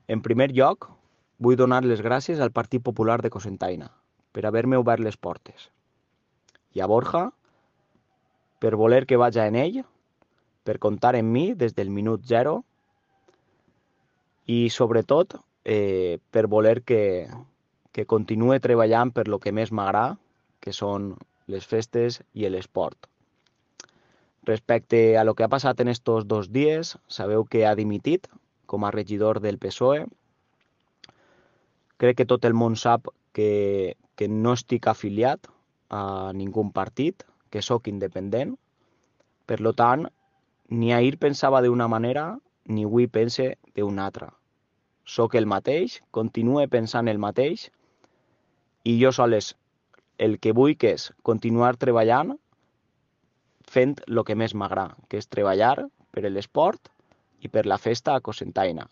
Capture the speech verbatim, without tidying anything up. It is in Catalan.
En primer lloc, vull donar les gràcies al Partit Popular de Cocentaina per haver-me obert les portes, i a Borja per voler que vaja en ell, per comptar en mi des del minut zero i, sobretot, eh, per voler que, que continue treballant per lo que més m'agrada, que són les festes i l'esport. Respecte a lo que ha passat en estos dos dies, sabeu que ha dimitit com a regidor del P S O E. Crec que tot el món sap que, que no estic afiliat a ningú partit, que sóc independent. Per lo tant, ni ahir pensava d'una manera, ni avui pense d'una altra. Sóc el mateix, continue pensant el mateix, i jo sols el que vull que és continuar treballant fent el que més m'agrada, que és treballar per l'esport i per la festa a Cocentaina.